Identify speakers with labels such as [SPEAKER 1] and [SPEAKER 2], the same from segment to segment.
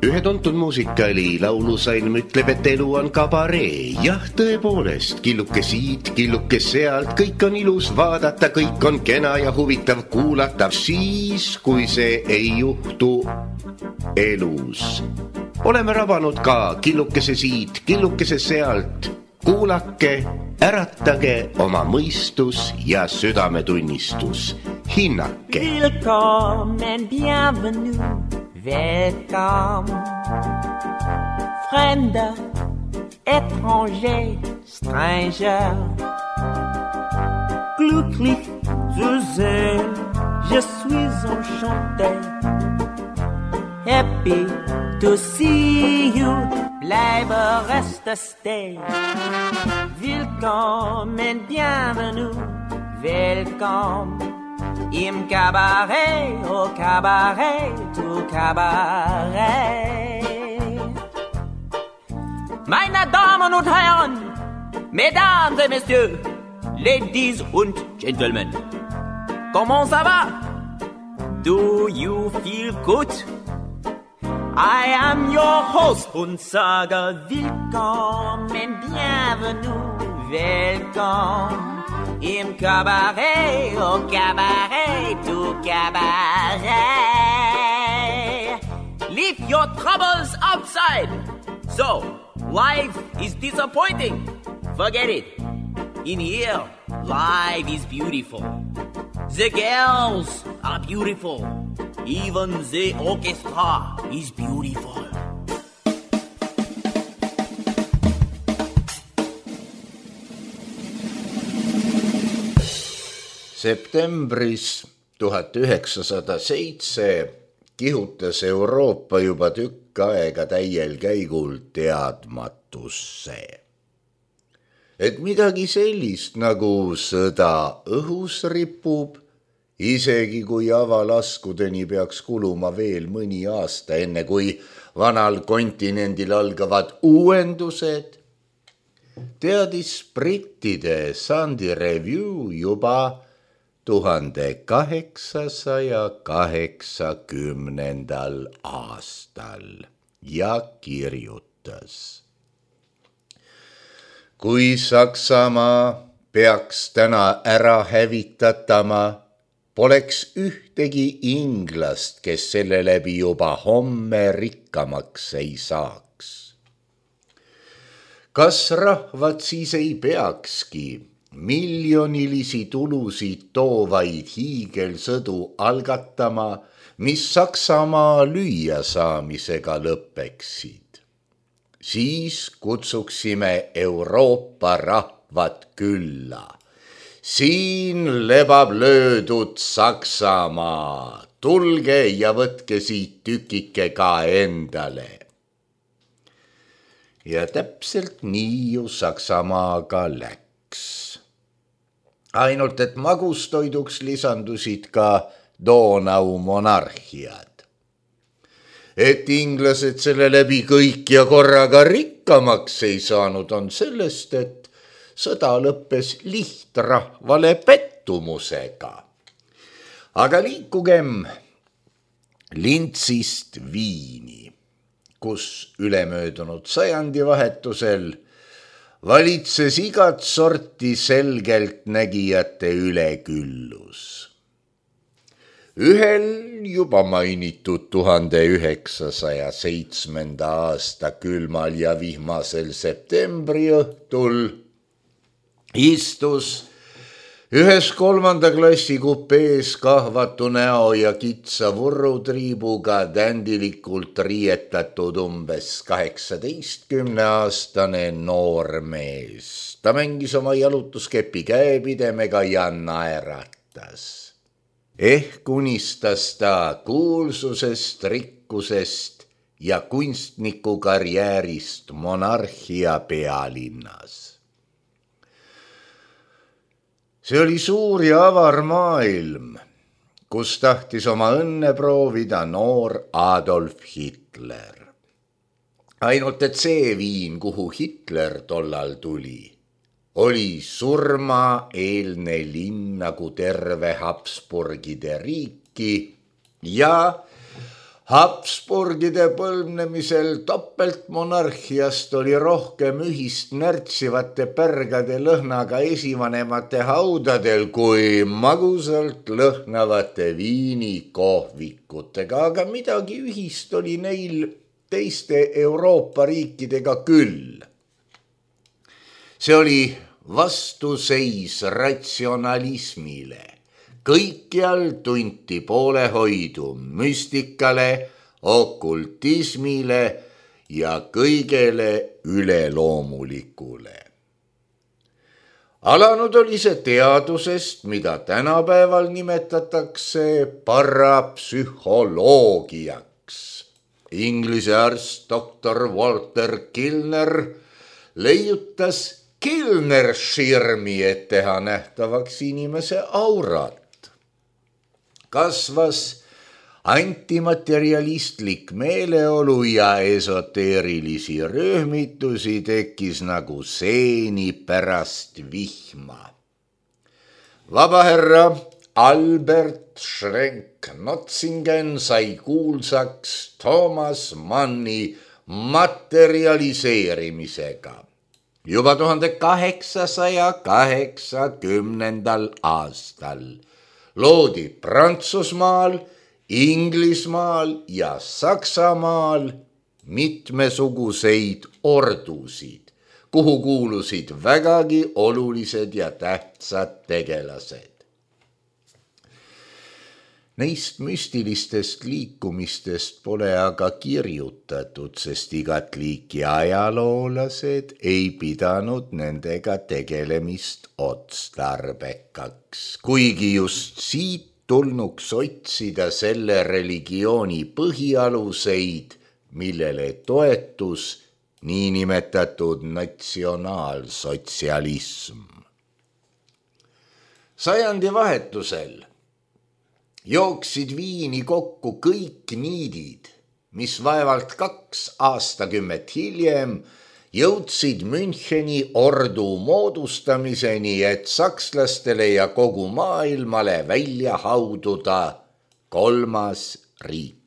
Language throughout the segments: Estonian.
[SPEAKER 1] Ühe tuntud muusikali laulusalm ütleb, et elu on kabaree. Jah, tõepoolest, killuke siit, killuke sealt, kõik on ilus vaadata, kõik on kena ja huvitav kuulata. Siis, kui see ei juhtu elus. Oleme rabanud ka killukese siit, killukese sealt. Kuulake, äratage oma mõistus ja südametunnistus. Hinnake.
[SPEAKER 2] Willkommen, bienvenue. Welcome, Fremder, étranger, stranger. Glücklich zu sehen, je suis enchanté. Happy to see you, bleibe reste stay. Willkommen, bienvenue, welcome. Im Cabaret, au Cabaret, tout Cabaret. Meine Damen und Herren, Mesdames et Messieurs, Ladies und Gentlemen, comment ça va? Do you feel good? I am your host und sage willkommen, bienvenue, welcome. Im Cabaret, au Cabaret, tout Cabaret. Leave your troubles outside. So, life is disappointing. Forget it. In here, life is beautiful. The girls are beautiful. Even the orchestra is beautiful.
[SPEAKER 3] Septembris 1907 kihutas Euroopa juba tükk aega täiel käigul teadmatusse. Et midagi sellist nagu sõda õhus ripub, isegi kui avalaskudeni peaks kuluma veel mõni aasta, enne kui vanal kontinendil algavad uuendused, teadis brittide Sunday Review juba 1880. aastal ja kirjutas. Kui Saksamaa peaks täna ära hävitatama, poleks ühtegi inglast, kes selle läbi juba homme rikkamaks ei saaks. Kas rahvad siis ei peakski miljonilisi tulusid toovaid hiigelsõdu algatama, mis Saksamaa lüüa saamisega lõpeksid? Siis kutsuksime Euroopa rahvad külla. Siin lebab löödud Saksamaa, tulge ja võtke siit tükike ka endale. Ja täpselt nii ju Saksamaaga läks. Ainult, et magustoiduks lisandusid ka Donau monarhiad. Et inglased selle läbi kõik ja korraga rikkamaks ei saanud, on sellest, et sõda lõppes lihtrahvale pettumusega. Aga liikugem Lintsist Viini, kus ülemöödunud sajandivahetusel valitses igat sorti selgeltnägijate üleküllus. Ühel juba mainitud 1907. aasta külmal ja vihmasel septembri õhtul istus ühes 3. klassi kupees kahvatu näo ja kitsa vurrutriibuga tändilikult riietatud umbes 18-aastane noor mees. Ta mängis oma jalutuskepi käepidemega ja naeratas. Ehk unistas ta kuulsusest, rikkusest ja kunstniku karjäärist monarhia pealinnas. See oli suur ja avar maailm, kus tahtis oma õnne proovida noor Adolf Hitler. Ainult et see Viin, kuhu Hitler tollal tuli, oli surmaeelne linn nagu terve Habsburgide riiki ja Habsburgide põlvnemisel topeltmonarhiast oli rohkem ühist närtsivate pärgade lõhnaga esivanemate haudadel kui magusalt lõhnavate viinikohvikutega, aga midagi ühist oli neil teiste Euroopa riikidega küll. See oli vastuseis ratsionalismile. Kõikjal tunti poolehoidu müstikale, okultismile ja kõigele üleloomulikule. Alanud oli see teadusest, mida tänapäeval nimetatakse parapsühholoogiaks. Inglise arst doktor Walter Kilner leiutas Kilner-širmi, et teha nähtavaks inimese aurat. Kasvas antimaterialistlik meeleolu ja esoteerilisi rühmitusi tekkis nagu seeni pärast vihma. Vabaherra Albert Schrenck-Notzingen sai kuulsaks Thomas Manni materialiseerimisega. Juba 1880. aastal loodi Prantsusmaal, Inglismaal ja Saksamaal mitmesuguseid ordusid, kuhu kuulusid vägagi olulised ja tähtsad tegelased. Neist müstilistest liikumistest pole aga kirjutatud, sest igat liiki ajaloolased ei pidanud nendega tegelemist otstarbekaks, kuigi just siit tulnuks otsida selle religiooni põhialuseid, millele toetus niinimetatud natsionaalsotsialism. Sajandi vahetusel jooksid Viini kokku kõik niidid, mis vaevalt 2 aastakümmet hiljem jõudsid Müncheni ordu moodustamiseni, et sakslastele ja kogu maailmale välja haududa 3. riik.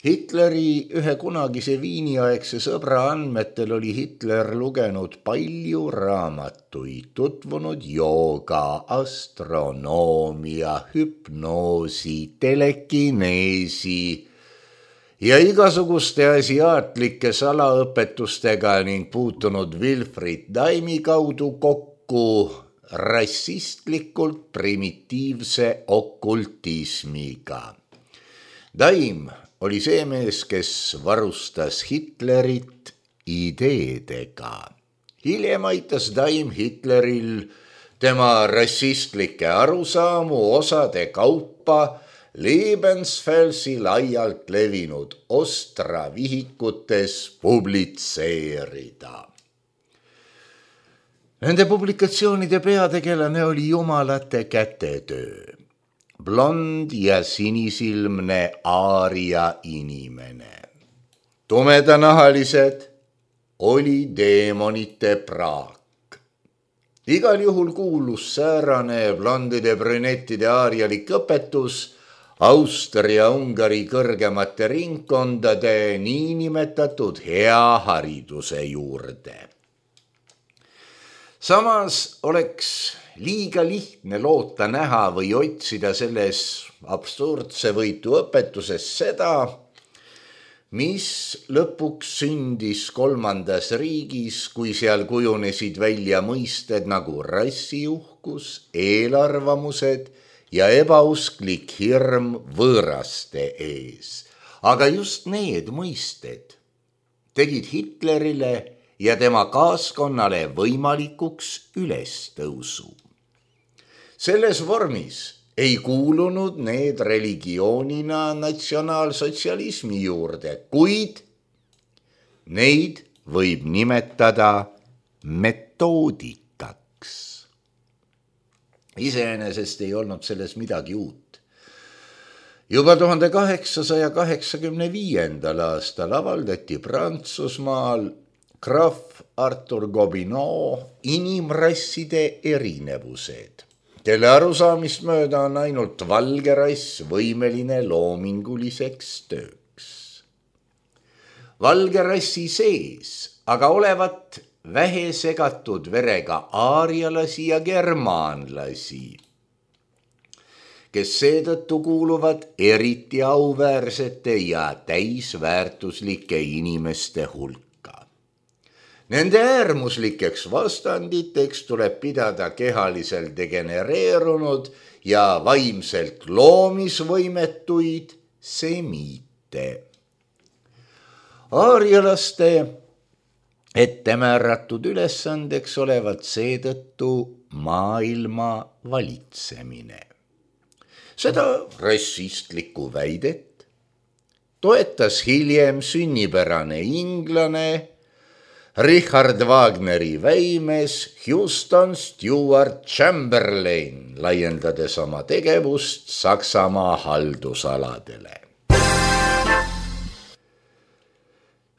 [SPEAKER 3] Hitleri ühe kunagise Viiniaegse sõbra andmetel oli Hitler lugenud palju raamatuid, tutvunud jooga, astronoomia, hüpnoosi, telekineesi ja igasuguste asiaatlike salaõpetustega ning puutunud Wilfried Daimi kaudu kokku rassistlikult primitiivse okultismiga. Daim oli see mees, kes varustas Hitlerit ideedega. Hiljem aitas Daim Hitleril tema rassistlikke arusaamu osade kaupa Lebensfelsi laialt levinud Ostra vihikutes publitseerida. Nende publikatsioonide peategelane oli jumalate kätetöö. Blond ja sinisilmne aaria inimene. Tumedanahalised oli deemonite praak. Igal juhul kuulus säärane blondide brünettide aarialik õpetus Austria-Ungari kõrgemate ringkondade niinimetatud hea hariduse juurde. Samas oleks liiga lihtne loota näha või otsida selles absurdse võitu õpetuses seda, mis lõpuks sündis 3. riigis, kui seal kujunesid välja mõisted nagu rassiuhkus, eelarvamused ja ebausklik hirm võõraste ees. Aga just need mõisted tegid Hitlerile ja tema kaaskonnale võimalikuks ülestõusu. Selles vormis ei kuulunud need religioonina natsionaalsotsialismi juurde, kuid neid võib nimetada metoodikaks. Iseenesest ei olnud selles midagi uut. Juba 1885. aastal avaldati Prantsusmaal Graf Arthur Gobineau inimrasside erinevused, kelle arusaamist mööda on ainult valge rass võimeline loominguliseks tööks. Valge rassi sees aga olevat vähe segatud verega aarialasi ja germaanlasi, kes seetõttu kuuluvad eriti auväärsete ja täisväärtuslike inimeste hulka. Nende äärmuslikeks vastanditeks tuleb pidada kehaliselt degenereerunud ja vaimselt loomisvõimetuid semiite. Aarialaste ettemääratud ülesandeks olevat seetõttu maailma valitsemine. Seda rassistlikku väidet toetas hiljem sünnipärane inglane Richard Wagneri väimes Houston Stewart Chamberlain, laiendades oma tegevust Saksamaa haldusaladele.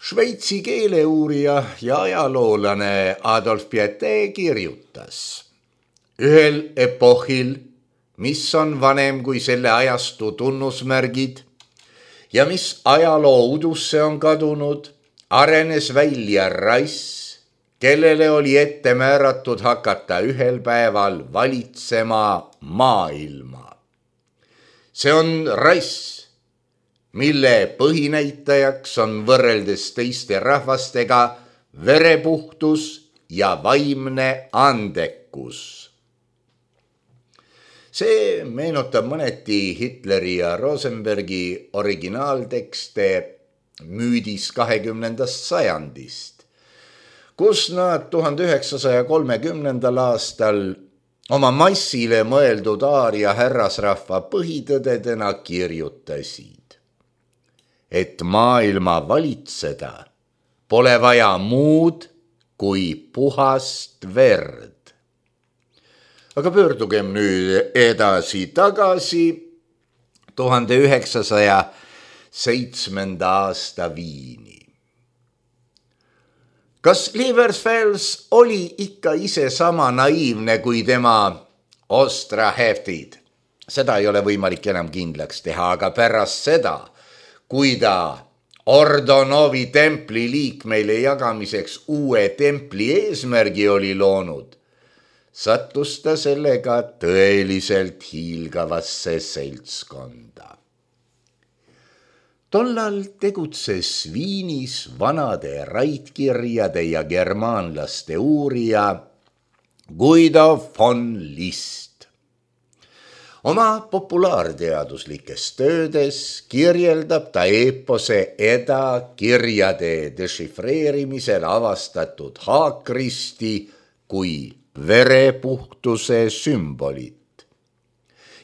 [SPEAKER 3] Šveitsi keeleuurija ja ajaloolane Adolf Pieté kirjutas: ühel epohil, mis on vanem kui selle ajastu tunnusmärgid ja mis ajaloo udusse on kadunud, arenes välja rass, kellele oli ette määratud hakata ühel päeval valitsema maailma. See on rass, mille põhinäitajaks on võrreldes teiste rahvastega verepuhtus ja vaimne andekus. See meenutab mõneti Hitleri ja Rosenbergi originaaltekste müüdis 20. sajandist, kus nad 1930. aastal oma massile mõeldud aaria härrasrahva põhitõdedena kirjutasid, et maailma valitseda pole vaja muud kui puhast verd. Aga pöördugem nüüd edasi-tagasi 1907. aasta Viini. Kas Liebersfels oli ikka ise sama naiivne kui tema ostraheftid? Seda ei ole võimalik enam kindlaks teha, aga pärast seda, kui ta Ordonovi templi liikmeile jagamiseks uue templi eesmärgi oli loonud, sattus ta sellega tõeliselt hiilgavasse seltskonda. Tollal tegutses Viinis vanade raidkirjade ja germaanlaste uurija Guido von List. Oma populaarteaduslikes töödes kirjeldab ta eepose Eda kirjade dešifreerimisel avastatud haakristi kui verepuhtuse sümbolit.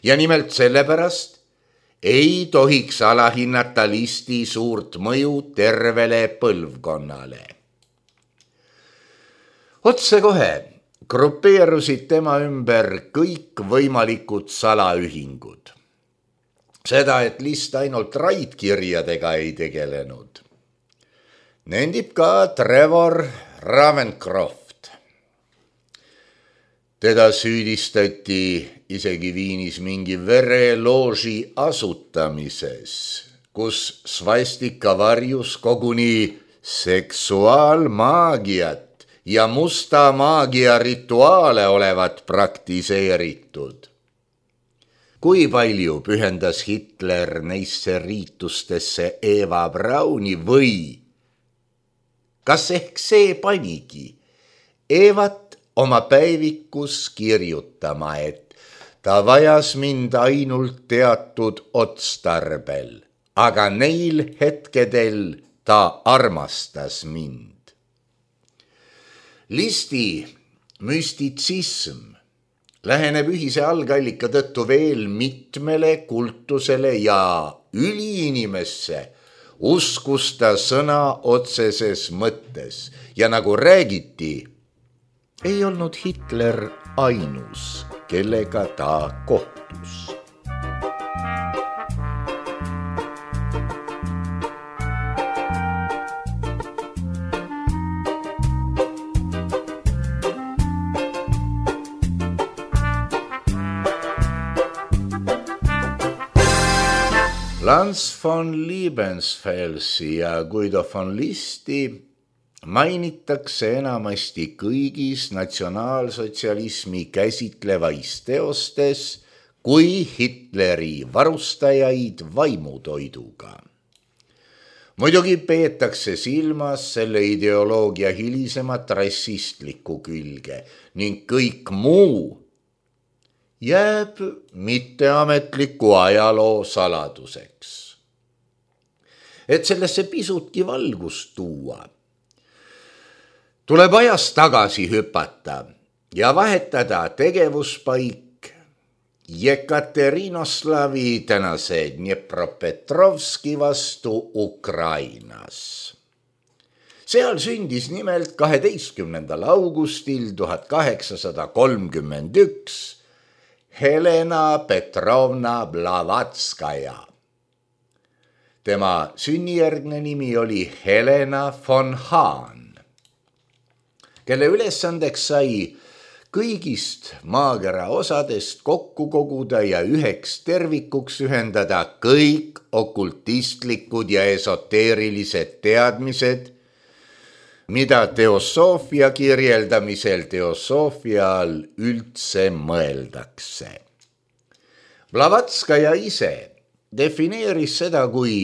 [SPEAKER 3] Ja nimelt sellepärast ei tohiks alahinnata Listi suurt mõju tervele põlvkonnale. Otsekohe grupeerusid tema ümber kõik võimalikud salaühingud. Seda, et List ainult raidkirjadega ei tegelenud, nendib ka Trevor Ravencroft. Teda süüdistati isegi Viinis mingi verelooži asutamises, kus svastika varjus koguni seksuaalmaagiat ja musta maagia rituaale olevat praktiseeritud. Kui palju pühendas Hitler neisse riitustesse Eva Brauni või kas ehk see panigi Evat oma päevikus kirjutama, et ta vajas mind ainult teatud otstarbel, aga neil hetkedel ta armastas mind. Listi müstitsism läheneb ühise algallika tõttu veel mitmele kultusele ja üliinimesse uskus ta sõna otseses mõttes ja nagu räägiti, ei olnud Hitler ainus, kellega ta kohtus. Lanz von Liebensfelsi ja Guido von Listi mainitakse enamasti kõigis natsionaalsotsialismi käsitlevais teostes kui Hitleri varustajaid vaimutoiduga. Muidugi peetakse silmas selle ideoloogia hilisemat rassistlikku külge ning kõik muu jääb mitteametliku ajaloo saladuseks. Et sellesse pisutki valgust tuua, tuleb ajas tagasi hüpata ja vahetada tegevuspaik Jekaterinoslavi tänase Dnepropetrovski vastu Ukrainas. Seal sündis nimelt 12. augustil 1831 Helena Petrovna Blavatskaja. Tema sünnijärgne nimi oli Helena von Hahn, kelle ülesandeks sai kõigist maakera osadest kokku koguda ja üheks tervikuks ühendada kõik okultistlikud ja esoteerilised teadmised, mida teosoofia kirjeldamisel teosoofia all üldse mõeldakse. Blavatskaja ise defineeris seda kui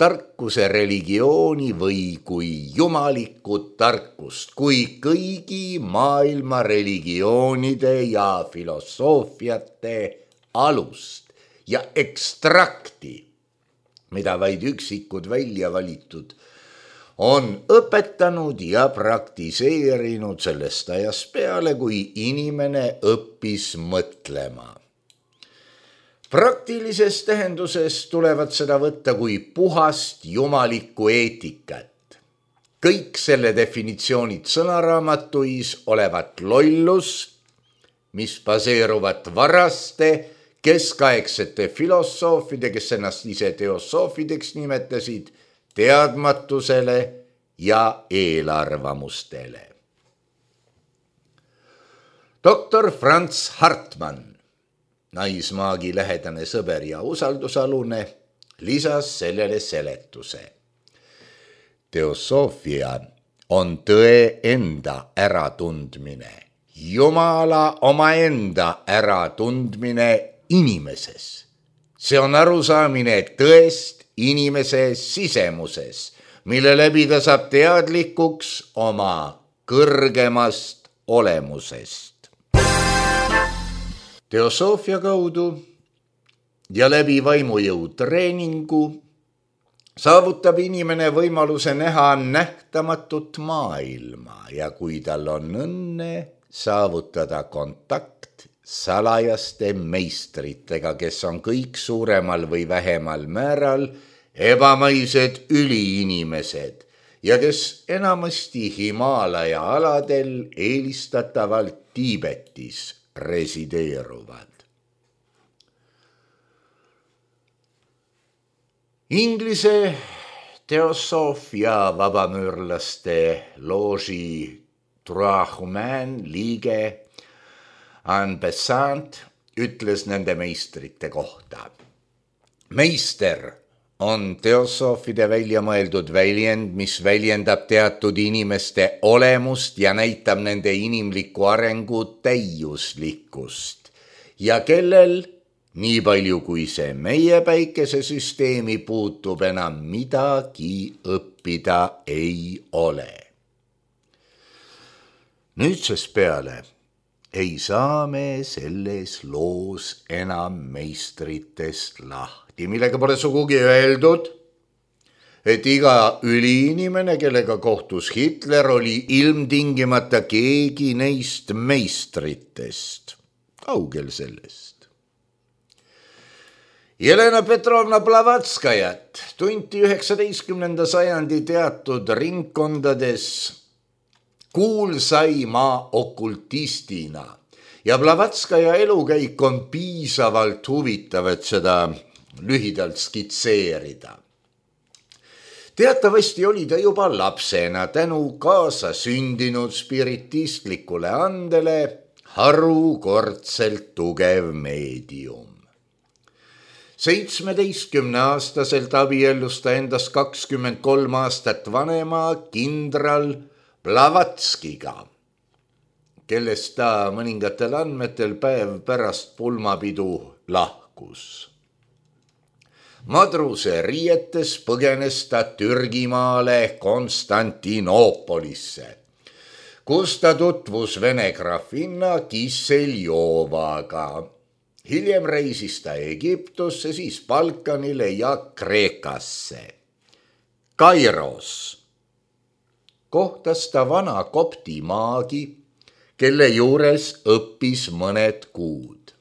[SPEAKER 3] tarkuse religiooni või kui jumalikku tarkust, kui kõigi maailma religioonide ja filosoofiate alust ja ekstrakti, mida vaid üksikud välja valitud on õpetanud ja praktiseerinud sellest ajast peale, kui inimene õppis mõtlema. Praktilises tähenduses tulevad seda võtta kui puhast jumalikku eetikat. Kõik selle definitsioonid sõnaraamatuis olevat lollus, mis baseeruvad varaste keskaegsete filosoofide, kes ennast ise teosoofideks nimetasid, teadmatusele ja eelarvamustele. Doktor Franz Hartmann, naismaagi lähedane sõber ja usaldusalune, lisas sellele seletuse. Teosoofia on tõe enda äratundmine, Jumala omaenda äratundmine inimeses. See on arusaamine tõest inimese sisemuses, mille läbi ta saab teadlikuks oma kõrgemast olemusest. Teosoofia kaudu ja läbi vaimujõu treeningu saavutab inimene võimaluse näha nähtamatut maailma ja kui tal on õnne saavutada kontakt salajaste meistritega, kes on kõik suuremal või vähemal määral ebamaised üliinimesed ja kes enamasti Himaalaja aladel, eelistatavalt Tiibetis, resideeruvad. Inglise teosoofia vabamüürlaste looži Trois Humains liige Anne Besant ütles nende meistrite kohta. Meister on teosoofide välja mõeldud väljend, mis väljendab teatud inimeste olemust ja näitab nende inimliku arengu täiuslikkust ja kellel, nii palju kui see meie päikesesüsteemi puutub, enam midagi õppida ei ole. Nüüdsest peale ei saa me selles loos enam meistritest lahti, millega pole sugugi öeldud, et iga üliinimene, kellega kohtus Hitler, oli ilmtingimata keegi neist meistritest. Kaugel sellest. Jelena Petrovna Blavatskajat tunti 19. sajandi teatud ringkondades kuulsaima okultistina ja Blavatskaja elukäik on piisavalt huvitav, et seda lühidalt skitseerida. Teatavasti oli ta juba lapsena tänu kaasa sündinud spiritistlikule andele harukordselt tugev meedium. 17-aastaselt abiellus ta endast 23 aastat vanema kindral Blavatskiga, kellest ta mõningatel andmetel päev pärast pulmapidu lahkus. Madruse riietes põgenes ta Türgimaale Konstantinoopolisse, kus ta tutvus vene grafinna Kisseljovaga. Hiljem reisis ta Egiptusse, siis Balkanile ja Kreekasse. Kairos kohtas ta vana kopti maagi, kelle juures õppis mõned kuud.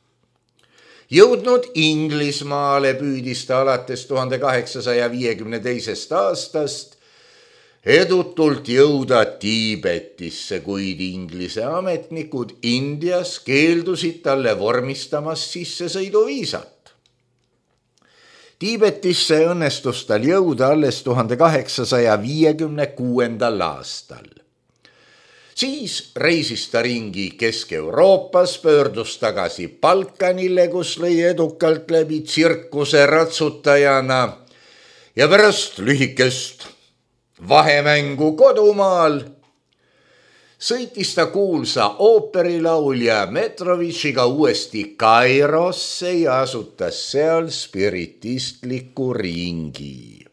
[SPEAKER 3] Jõudnud Inglismaale püüdis ta alates 1852. aastast edutult jõuda Tiibetisse, kuid Inglise ametnikud Indias keeldusid talle vormistamas sissesõiduviisat. Tiibetisse õnnestus tal jõuda alles 1856. aastal. Siis reisis ta ringi Kesk-Euroopas, pöördus tagasi Balkanile, kus lõi edukalt läbi tsirkuse ratsutajana ja pärast lühikest vahemängu kodumaal sõitis ta kuulsa ooperilaulja Metrovitšiga uuesti Kairosse ja asutas seal spiritistliku ringi.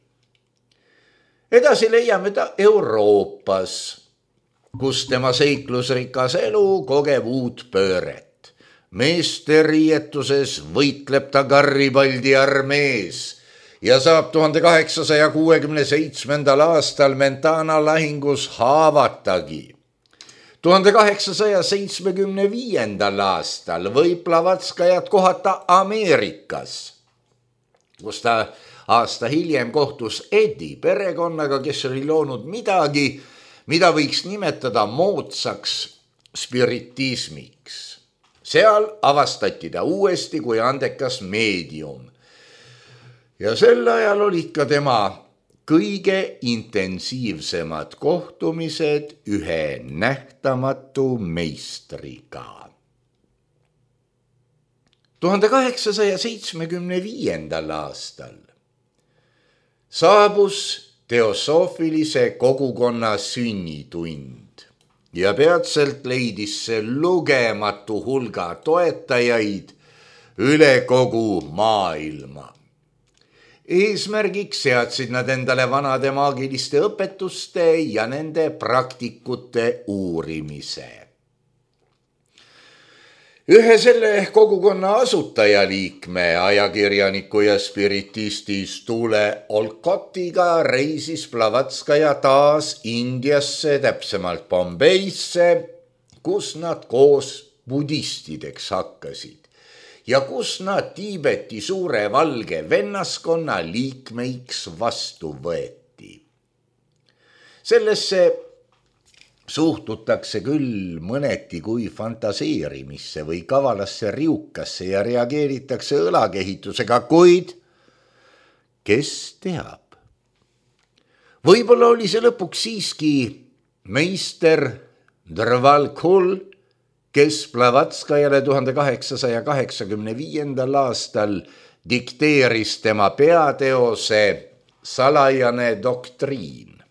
[SPEAKER 3] Edasi leiame ta Euroopas, kus tema seiklusrikas elu kogeb uut pööret. Meeste riietuses võitleb ta Garibaldi armees ja saab 1867. aastal Mentana lahingus haavatagi. 1875. aastal võib Blavatskajat kohata Ameerikas, kus ta aasta hiljem kohtus Eddi perekonnaga, kes oli loonud midagi, mida võiks nimetada moodsaks spiritismiks. Seal avastati ta uuesti kui andekas meedium. Ja sel ajal olid ka tema kõige intensiivsemad kohtumised ühe nähtamatu meistriga. 1875. aastal saabus teosoofilise kogukonna sünnitund ja peatselt leidis see lugematu hulga toetajaid üle kogu maailma. Eesmärgiks seadsid nad endale vanade maagiliste õpetuste ja nende praktikute uurimise. Ühe selle kogukonna asutajaliikme, ajakirjaniku ja spiritisti Stule Olcotiga reisis Blavatskaja taas Indiasse, täpsemalt Bombeisse, kus nad koos budistideks hakkasid ja kus nad Tiibeti suure valge vennaskonna liikmeiks vastu võeti. Sellesse suhtutakse küll mõneti kui fantaseerimisse või kavalasse riukasse ja reageeritakse õlakehitusega, kuid kes teab? Võib-olla oli see lõpuks siiski meister Drvalkul, kes Blavatskajale 1885. aastal dikteeris tema peateose Salajane doktriin.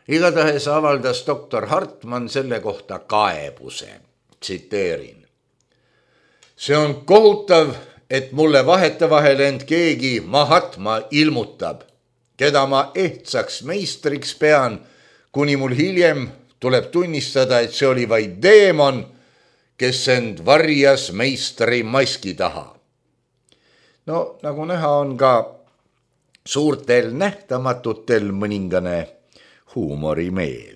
[SPEAKER 3] Igatahes avaldas doktor Hartmann selle kohta kaebuse. Tsiteerin. See on kohutav, et mulle vahetevahel end keegi Mahatma ilmutab, keda ma ehtsaks meistriks pean, kuni mul hiljem tuleb tunnistada, et see oli vaid deemon, kes end varjas meistri maski taha. No, nagu näha, on ka suurtel nähtamatutel mõningane huumorimeel.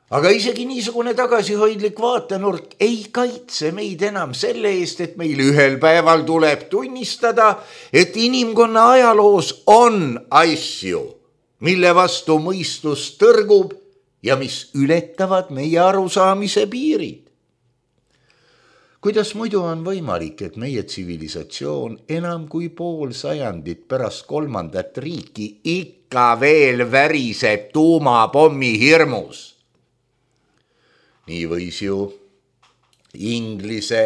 [SPEAKER 3] Aga isegi niisugune tagasihoidlik vaatenurk ei kaitse meid enam selle eest, et meil ühel päeval tuleb tunnistada, et inimkonna ajaloos on asju, mille vastu mõistus tõrgub ja mis ületavad meie arusaamise piirid. Kuidas muidu on võimalik, et meie tsivilisatsioon enam kui pool sajandit pärast kolmandat riiki ikka veel väriseb tuumapommi hirmus? Nii võis ju Inglise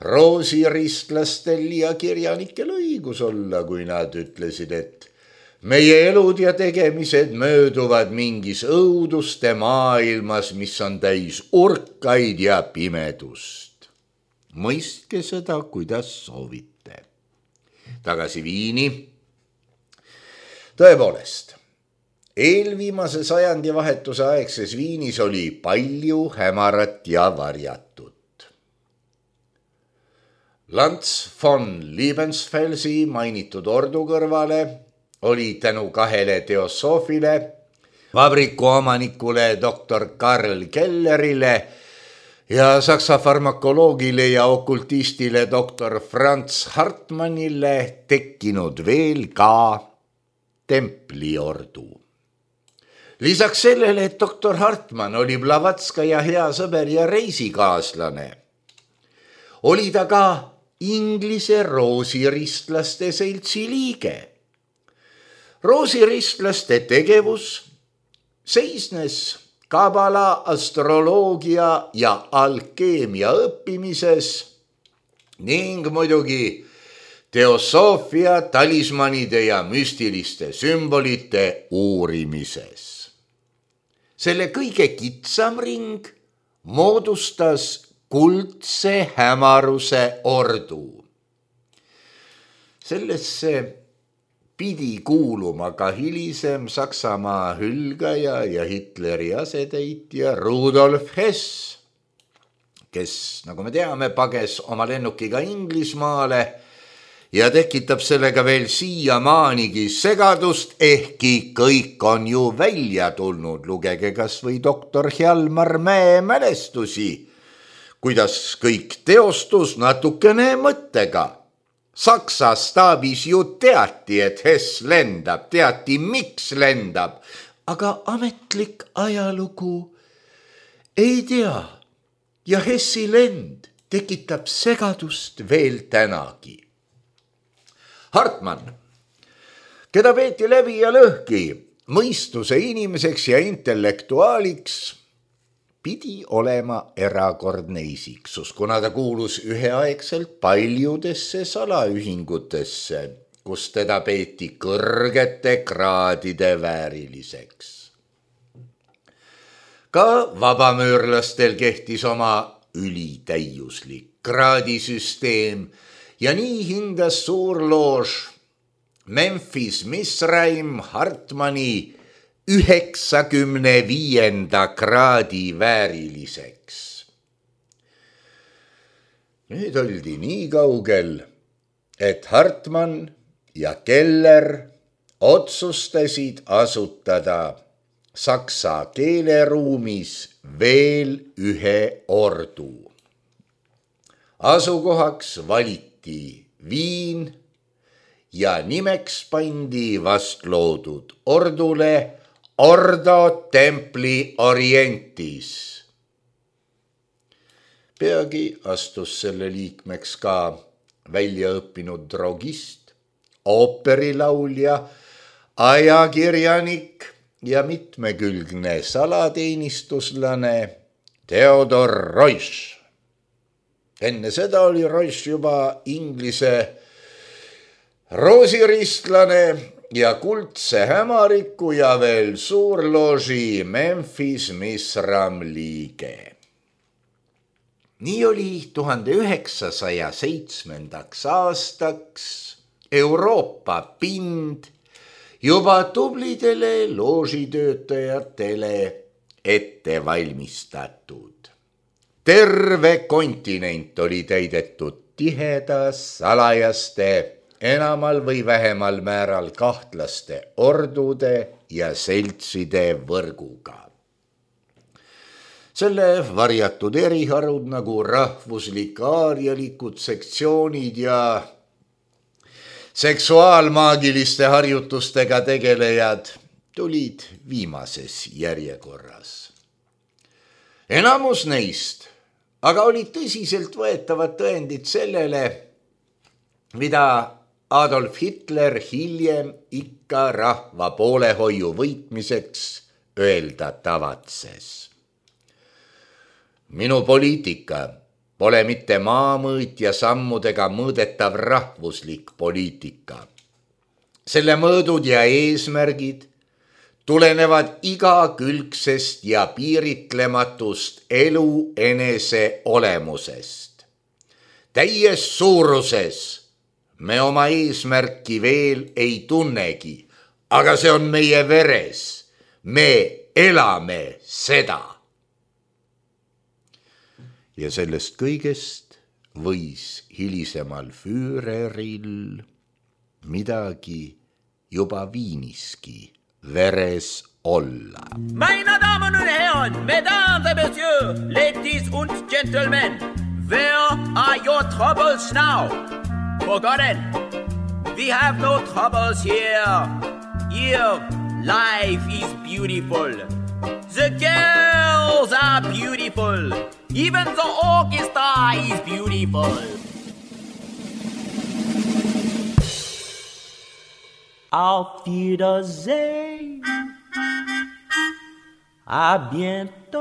[SPEAKER 3] roosiristlastel ja kirjanikel õigus olla, kui nad ütlesid, et meie elud ja tegemised mööduvad mingis õuduste maailmas, mis on täis urkaid ja pimedust. Mõistke seda, kuidas soovite. Tagasi Viini. Tõepoolest, eelviimase sajandi vahetuse aegses Viinis oli palju hämarat ja varjatut. Lanz von Liebensfelsi mainitud ordu kõrvale oli tänu 2 teosoofile, vabriku omanikule doktor Karl Kellerile ja saksa farmakoloogile ja okultistile doktor Franz Hartmannile tekkinud veel ka templiordu. Lisaks sellele, et doktor Hartmann oli Blavatskaja hea sõber ja reisikaaslane, oli ta ka Inglise roosiristlaste seltsi liige. Roosiristlaste tegevus seisnes kabala, astroloogia ja alkeemia õppimises ning muidugi teosoofia, talismanide ja müstiliste sümbolite uurimises. Selle kõige kitsam ring moodustas kuldse hämaruse ordu. Sellesse pidi kuuluma ka hilisem Saksamaa hülgaja ja Hitleri asetäitja Rudolf Hess, kes, nagu me teame, pages oma lennukiga Inglismaale ja tekitab sellega veel siiamaanigi segadust, ehkki kõik on ju välja tulnud. Lugege kas või doktor Hjalmar Mäe mälestusi, kuidas kõik teostus natukene mõttega. Saksa staabis ju teati, et Hess lendab, teati, miks lendab, aga ametlik ajalugu ei tea ja Hessi lend tekitab segadust veel tänagi. Hartmann, keda peeti läbi ja lõhki mõistuse inimeseks ja intellektuaaliks, pidi olema erakordne isiksus, kuna ta kuulus üheaegselt paljudesse salaühingutesse, kus teda peeti kõrgete kraadide vääriliseks. Ka vabamöörlastel kehtis oma ülitäiuslik kraadisüsteem ja nii hindas suurloož Memphis Misraim Hartmanni 95. kraadi vääriliseks. Nüüd oldi nii kaugel, et Hartmann ja Keller otsustasid asutada saksa keeleruumis veel ühe ordu. Asukohaks valiti Viin ja nimeks pandi vastloodud ordule Ordo Templi Orientis. Peagi astus selle liikmeks ka väljaõppinud drogist, ooperilaulja, ajakirjanik ja mitmekülgne salateenistuslane Theodor Reusch. Enne seda oli Reusch juba Inglise roosiristlane ja kuldse hämariku ja veel suurlooži Memphis Misram liige. Nii oli 1907. aastaks Euroopa pind juba tublidele loožitöötajatele ette valmistatud. Terve kontinent oli täidetud tiheda, salajaste, enamal või vähemal määral kahtlaste ordude ja seltside võrguga. Selle varjatud eriharud nagu rahvuslik aarialikud sektsioonid ja seksuaalmaagiliste harjutustega tegelejad tulid viimases järjekorras. Enamus neist aga olid tõsiselt võetavad tõendid sellele, mida Adolf Hitler hiljem ikka rahva poolehoiu võitmiseks öelda tavatses. Minu poliitika pole mitte maamõõtja sammudega mõõdetav rahvuslik poliitika. Selle mõõdud ja eesmärgid tulenevad igakülgsest ja piiritlematust elu enese olemusest. Täies suuruses me oma eesmärki veel ei tunnegi, aga see on meie veres. Me elame seda. Ja sellest kõigest võis hilisemal Führeril midagi juba Viiniski veres olla.
[SPEAKER 2] Meine Damen und Herren, Mesdames et Messieurs, Ladies und Gentlemen, where are your troubles now? Forgotten, we have no troubles here. Here, life is beautiful. The girls are beautiful. Even the orchestra is beautiful. Auf Wiedersehen. À bientôt.